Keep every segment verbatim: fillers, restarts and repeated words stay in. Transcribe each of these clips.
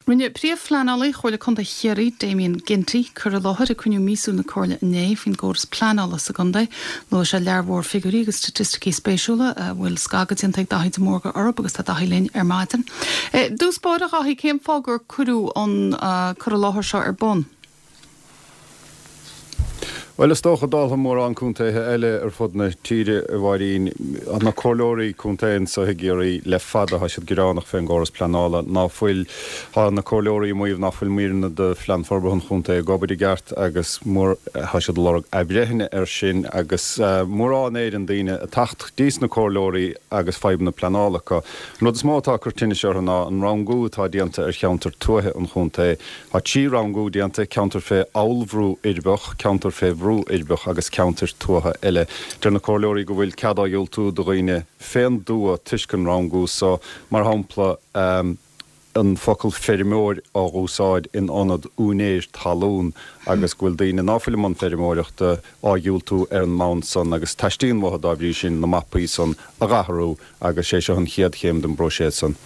Rinne príomhphleanálaí Chomhairle Contae Chiarraí Damien Ginty cur i láthair ag cruinniú míosúil na Comhairle inné faoin gcóras pleanála sa gcontae, Luaigh sé lear mhór figiúirí agus staitisticí spéisiúla a bhfuil scagadh déanta ag Daithí de Mórdha orthu agus tá Daithí linn ar maidin. I dtús báire a Dhaithí cén fáth gur cuireadh an uh, cur i láthair seo ar bun. Well is dócha dála mórán contaetha eile ar fud na tíre a Mháirín na comhairleoirí contae anseo i gCiarraí le fada tá siad gearánach fén gcóras pleanála ná fuil tá na comhairleoirí ag maíomh ná fuil míreanna de phlean forbartha an chontae ag obair i gceart agus mór tá siad ag lorg athbhreithnithe air sin agus uh, mórán éireann daoine ag teacht dtís na comhairleoirí agus fadhbanna pleanála acu. An rud is mó atá ag cur tinnis orthu ná an rangú atá déanta ar cheantar tuaithe an chontae. Tá trí rangú déanta ceantar fé ollbhrú uirbeach, ceantar fé bhrú uirbeach agus ceantar tuaithe eile. Deir na comhairleoirí go bhfuil cead á dhiúltú do dhaoine fén dtuath toisc an rangú so mar shampla um, an focal feirmeoir á úsáid in ionad úinéir talún agus go bhfuil daoine ná fuil i mbun feirmeoireachta á dhiúltú ar an mbonn san agus teastaíonn uathu dá bhrí sin na mapaí san a athrú agus sé seo an chéad chéim den bpróiseas san.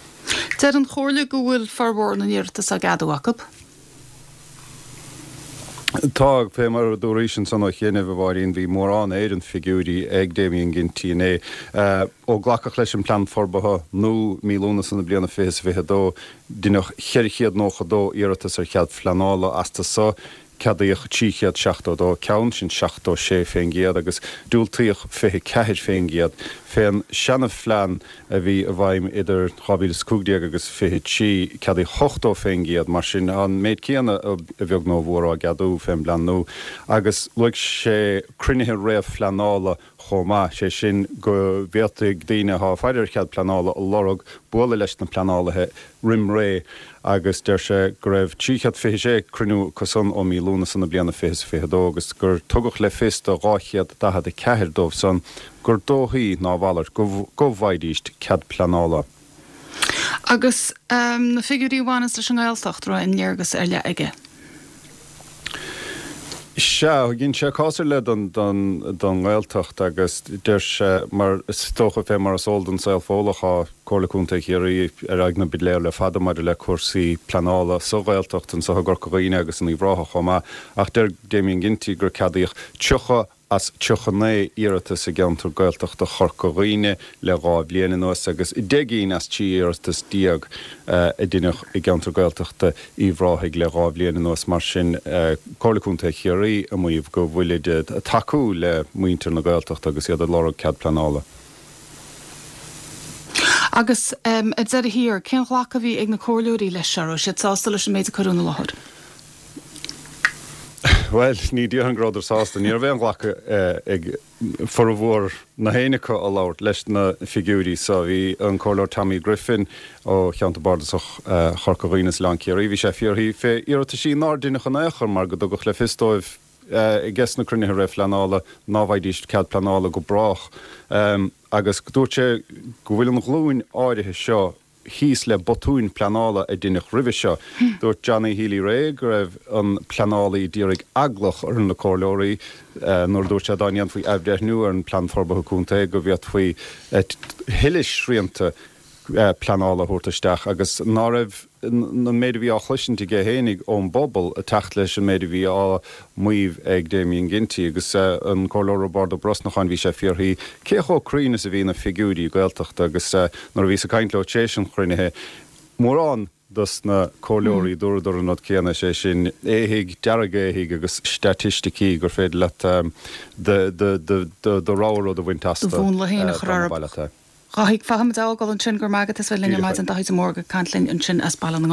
Deir an Chomhairle go bhfuil formhór na n-iarratas á gceadú acu. Tá fé mar a dúraís ansan ó chianaibh a Mháirín bhí mórán ar an figiúirí ag Damien Ginty inné. Uh, ó glacadh leis an plean forbartha nó mí Lúnasa na bliana fiche fiche dó deineadh ceithre chéad nócha dó iarratas ar chead pleanála astu so ceadaíodh trí chéad seachtó dó ceann sin seachtó sé fén gcéad agus diúltaíodh fiche ceathair fén gcéad. Fén seana-phlean a bhí i bhfeidhm idir dhá mhíle is cúig déag agus fiche trí ceadaíodh ochtó fén gcéad mar sin an méid céanna a bheag nó a mhór á gceadú fén bplean nua agus luaigh sé cruinnithe réamhphleanála chomh maith, sé sin go bhféadfaidh daoine atá ag faire ar chead pleanála a lorg bualadh leis na pleanálaithe roimh ré agus deir sé go raibh trí chéad fiche sé cruinniú acu san ó mí Lúnasa na bliana fiche fiche dó agus gur tugadh le fios do dhá chéad daichead a ceathair dóibh san gur dóichí ná a mhalairt go go bhfaighidís cead pleanála. Agus um, na figiúirí a bhaineas leis an nGaeltacht raibh aon léargas ar leith aige. Sea, dhein sé cás ar leith don don don nGaeltacht agus deir sé mar is dócha fé mar is eol don saol fódlach tá Comhairle Contae Chiarraí ar aghaidh na bpiléar le fada maidir le cúrsaí pleanála sa Ghaeltacht anseo i gCorca Dhuibhne agus in Uíbh Ráthach chomh maith ach deir Damien Ginty gur ceadaíodh tríocha as tríocha naoi iarratas i gceantar Gaeltachta Chorca Dhuibhne le dhá bhliain anuas agus deich gcinn as trí iarratas déag a deineadh i gceantar Gaeltachta Uíbh Ráthaigh le dhá bhliain anuas mar sin Comhairle Contae Chiarraí ag maíomh go bhfuilid ag tacú le muintir na Gaeltachta agus iad ag lorg cead pleanála. Agus um, ar deireadh thiar, cén ghlacadh a bhí ag na comhairleoirí leis seo siad sásta leis an méid a cuireadh ina láthair. Well, ní déarfainn go rabhadar sásta, ní raibh aon ghlacadh ag formhór na héinne acu a labhair leis na figiúirí so bhí an comhairleoir Tommy Griffin ó cheantar bardasach Chorca Dhuibhne is Oileán Ciarraí, bhí sé ag fiafraí fé iarrataisí nár deineadh in aon chor mar go dtugadh le fios dóibh ages na cruinnithe réamhphleanála ná bhfaighidís cead pleanála go brách. Um, agus dúirt sé go bhfuil an ghlúin áirithe seo thíos le botúin pleanála a deineadh roimhe seo. Dúirt Johnny Healy-Rae go raibh an pleanálaí d'iarraidh eagla a chur ar na comhairleoirí nuair dúirt sé dá ndéanfaí athbhreithniú ar an plean forbartha contae go bhféadfaí tuilleadh srianta pleanála a thabhairt isteach agus ná raibh an méid a bhí á chloisint aige féinig ón bpobal ag teacht leis an méid a bhí á maíomh ag Damien Ginty agus an comhairleoir Roibeárd Ó Brosnacháin bhí sé ag fiafraí cé chomh cruinn is a bhí na figiúirí Gaeltachta agus nuair a bhíos ag caint leo tar éis an chruinnithe mórán dos na comhairleoirí dúradar an rud céanna sé sin éithigh dearg-éithigh agus staitisticí gur féidir leat do rogha rud a bhaint astu. Do mhúnla féin a chur orthu. Chaithfidh fágfaimid ansin go maith agus linn ar maidin Daithí de Mórdha ag caint linn ansin as Baile na nGall.